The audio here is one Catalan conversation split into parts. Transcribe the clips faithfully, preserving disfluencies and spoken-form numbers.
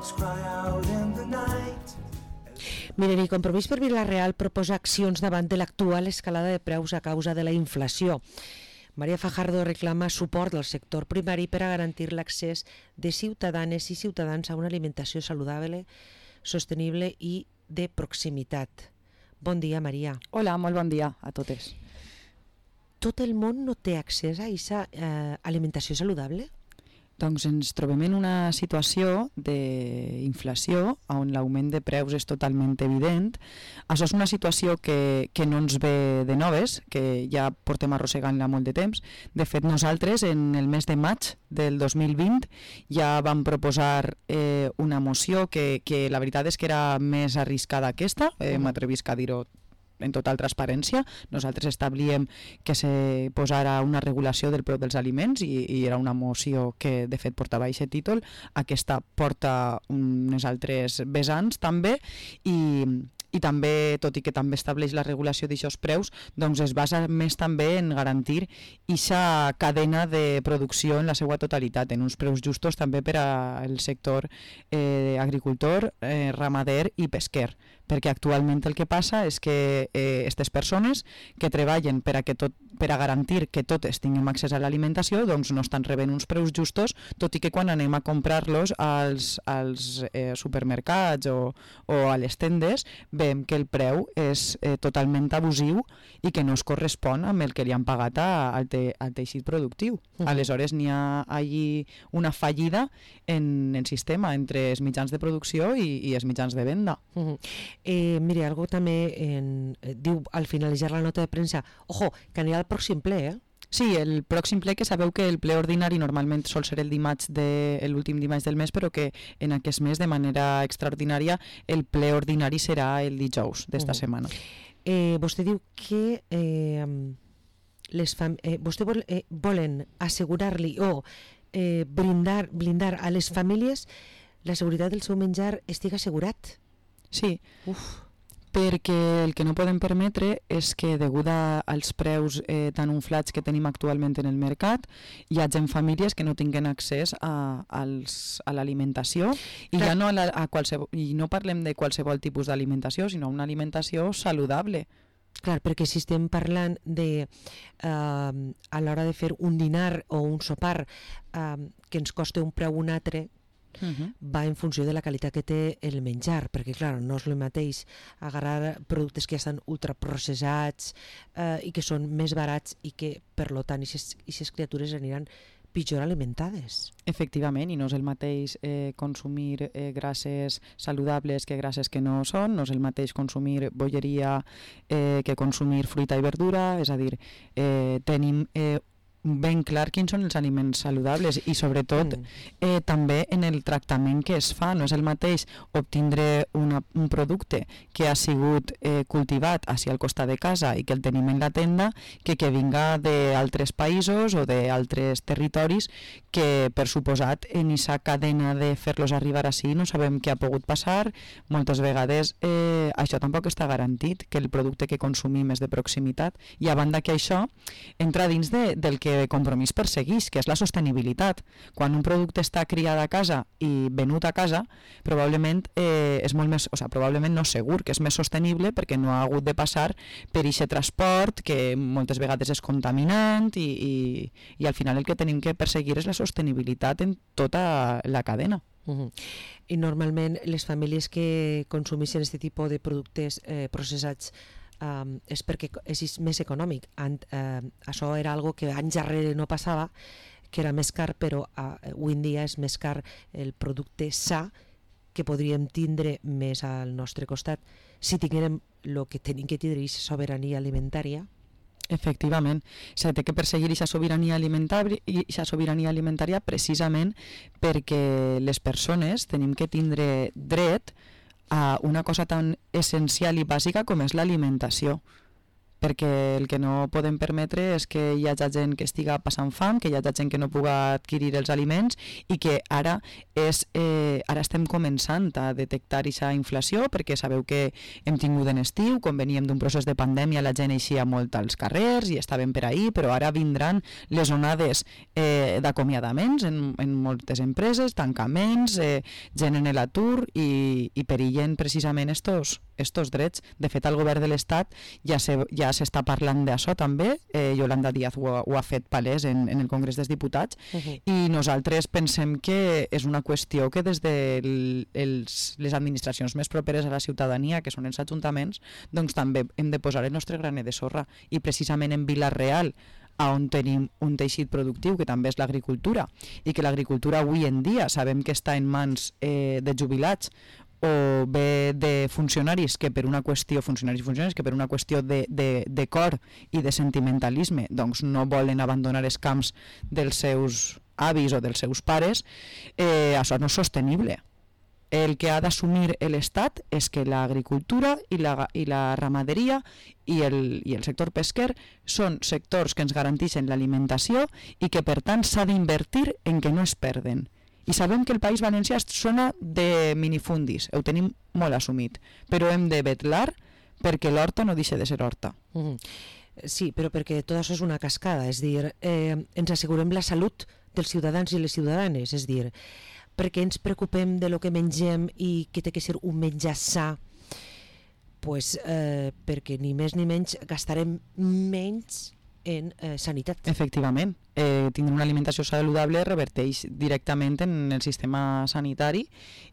dogs cry out in the night. Miren, i Compromís per Vila-real proposa accions davant de l'actual escalada de preus a causa de la inflació. Maria Fajardo reclama suport del sector primari per a garantir l'accés de ciutadanes i ciutadans a una alimentació saludable, sostenible i de proximitat. Bon dia, Maria. Hola, molt bon dia a totes. Tot el món no té accés a aquesta eh, alimentació saludable? Doncs ens trobem en una situació d'inflació on l'augment de preus és totalment evident. Això és una situació que, que no ens ve de noves, que ja portem arrossegant-la molt de temps. De fet, nosaltres en el mes de maig del dos mil vint ja vam proposar eh, una moció que, que la veritat és que era més arriscada que aquesta, eh, uh-huh. m'atrevisc a dir-ho en total transparència. Nosaltres establíem que se posara una regulació del preu dels aliments i, i era una moció que de fet portava aquest títol. Aquesta porta unes altres vessants també i, i també, tot i que també estableix la regulació d'aixòs preus, doncs es basa més també en garantir aquesta cadena de producció en la seva totalitat, en uns preus justos també per al sector eh, agricultor, eh, ramader i pesquer, perquè actualment el que passa és que aquestes eh, persones que treballen per a, que tot, per a garantir que totes tinguem accés a l'alimentació doncs no estan rebent uns preus justos, tot i que quan anem a comprar-los als, als eh, supermercats o, o a les tendes veiem que el preu és eh, totalment abusiu i que no es correspon amb el que li han pagat a, al, te, al teixit productiu. Uh-huh. Aleshores n'hi ha allí una fallida en el sistema entre els mitjans de producció i, i els mitjans de venda. Uh-huh. Eh, mire, algo també en, eh, diu al finalitzar la nota de premsa, ojo, que anirà al pròxim ple, eh? Sí, el pròxim ple, que sabeu que el ple ordinari normalment sol ser el dimarts de, l'últim dimarts del mes, però que en aquest mes de manera extraordinària el ple ordinari serà el dijous d'esta uh-huh. setmana. Eh, vostè diu que eh, les fam eh, vostè vol, eh, volen assegurar-li o eh, blindar, blindar a les famílies la seguretat del seu menjar estigui assegurat. Sí, Uf. perquè el que no podem permetre és que degut als preus eh, tan inflats que tenim actualment en el mercat hi hagi famílies que no tinguen accés a, als, a l'alimentació i ja no, a la, a qualsevol, i no parlem de qualsevol tipus d'alimentació, sinó una alimentació saludable. Clar, perquè si estem parlant de eh, a l'hora de fer un dinar o un sopar eh, que ens costa un preu un altre, Uh-huh. va en funció de la qualitat que té el menjar, perquè clar, no és el mateix agarrar productes que ja estan ultraprocessats eh, i que són més barats i que per lo tant aquestes criatures aniran pitjor alimentades. Efectivament, i no és el mateix eh, consumir eh, grasses saludables que grasses que no són, no és el mateix consumir bolleria eh, que consumir fruita i verdura, és a dir, eh, tenim eh, ben clar quins són els aliments saludables i sobretot mm. eh, també en el tractament que es fa. No és el mateix obtindre una, un producte que ha sigut eh, cultivat així al costat de casa i que el tenim en la tenda que que vinga d'altres països o d'altres territoris que per suposat en aquesta cadena de fer-los arribar així no sabem què ha pogut passar. Moltes vegades eh, això tampoc està garantit, que el producte que consumim és de proximitat, i a banda que això entra dins de, del que Compromís persegueix, que és la sostenibilitat. Quan un producte està criat a casa i venut a casa, probablement eh, és molt més, o sigui, probablement no segur que és més sostenible perquè no ha hagut de passar per aquest transport que moltes vegades és contaminant i, i, i al final el que tenim que perseguir és la sostenibilitat en tota la cadena. Uh-huh. I normalment les famílies que consumeixen aquest tipus de productes eh, processats Um, és perquè és més econòmic. And, uh, això era algo que anys darrere no passava, que era més car, però uh, avui en dia és més car el producte sa que podríem tindre més al nostre costat si tinguérem el que tenim que tindre, aquesta sobirania alimentària. Efectivament, s'ha de que perseguir aquesta sobirania alimentària, aquesta sobirania alimentària precisament perquè les persones tenim que tindre dret a una cosa tan essencial i bàsica com és l'alimentació, perquè el que no podem permetre és que hi hagi gent que estiga passant fam, que hi hagi gent que no puga adquirir els aliments i que ara, és, eh, ara estem començant a detectar aquesta inflació, perquè sabeu que hem tingut en estiu, quan veníem d'un procés de pandèmia, la gent eixia molt als carrers i estaven per ahir, però ara vindran les onades eh, d'acomiadaments en, en moltes empreses, tancaments, eh, gent en l'atur i, i perillen precisament estos, estos drets. De fet, el govern de l'Estat ja se, ja s'està parlant d'això també, eh, Yolanda Díaz ho, ho ha fet palès en, en el Congrés dels Diputats, uh-huh. i nosaltres pensem que és una qüestió que des de els, les administracions més properes a la ciutadania, que són els ajuntaments, doncs també hem de posar el nostre granet de sorra, i precisament en Vila-real, on tenim un teixit productiu que també és l'agricultura, i que l'agricultura avui en dia sabem que està en mans eh, de jubilats o bé de funcionaris que per una qüestió funcionaris i funcionaris que per una qüestió de, de, de cor i de sentimentalisme doncs no volen abandonar els camps dels seus avis o dels seus pares, eh, això no és sostenible. El que ha d'assumir l'Estat és que l'agricultura i la, i la ramaderia i el, i el sector pesquer són sectors que ens garanteixen l'alimentació i que per tant s'ha d'invertir en que no es perden. I sabem que el País Valencià sona de minifundis, ho tenim molt assumit, però hem de vetlar perquè l'horta no deixi de ser horta. Mm. Sí, però perquè tot això és una cascada, és dir, eh, ens assegurem la salut dels ciutadans i les ciutadanes, és dir, perquè ens preocupem de lo que mengem i que té que ser un menjar sa, pues, eh, perquè ni més ni menys gastarem menys en eh, sanitat. Efectivament, eh, tindre una alimentació saludable reverteix directament en el sistema sanitari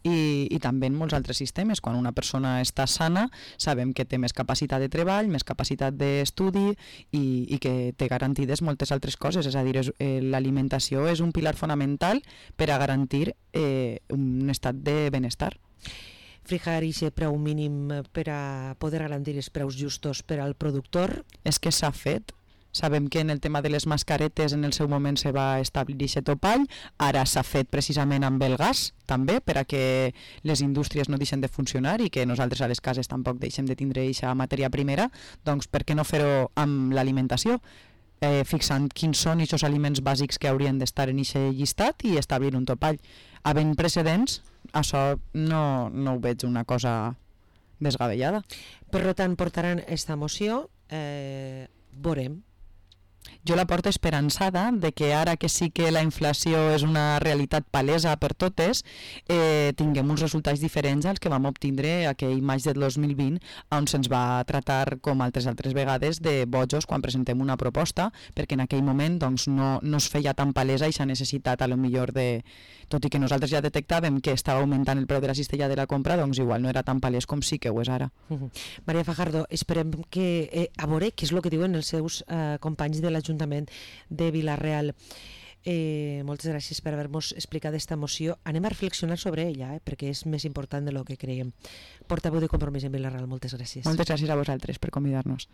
i, i també en molts altres sistemes. Quan una persona està sana sabem que té més capacitat de treball, més capacitat d'estudi i, i que té garantides moltes altres coses, és a dir, és, eh, l'alimentació és un pilar fonamental per a garantir eh, un estat de benestar. Fijar aquest preu mínim per a poder garantir els preus justos per al productor? És que s'ha fet. Sabem que en el tema de les mascaretes en el seu moment se va establir aquest topall, ara s'ha fet precisament amb el gas també, per a que les indústries no deixen de funcionar i que nosaltres a les cases tampoc deixem de tindre aquesta matèria primera, doncs per què no fer-ho amb l'alimentació? Eh, fixant quins són aquests aliments bàsics que haurien d'estar en aquest llistat i establir un topall. Havent precedents, això no, no ho veig una cosa desgavellada. Per tant, portaran aquesta moció, eh, veurem. Jo la porto esperançada de que ara que sí que la inflació és una realitat palesa per totes, eh, tinguem uns resultats diferents als que vam obtindre aquell maig del dos mil vint, on se'ns va tratar, com altres altres vegades, de bojos quan presentem una proposta, perquè en aquell moment doncs, no, no es feia tan palesa aquesta necessitat, a lo millor de... Tot i que nosaltres ja detectàvem que estava augmentant el preu de la cistella de la compra, doncs igual no era tan palès com sí que ho és ara. Uh-huh. Maria Fajardo, esperem que eh, a veure què és el que diuen els seus eh, companys de l'Ajuntament de Vila-real. Eh, moltes gràcies per haver-nos explicat aquesta moció. Anem a reflexionar sobre ella, eh, perquè és més important del que creiem. Portaveu de Compromís en Vila-real, moltes gràcies. Moltes gràcies a vosaltres per convidar-nos.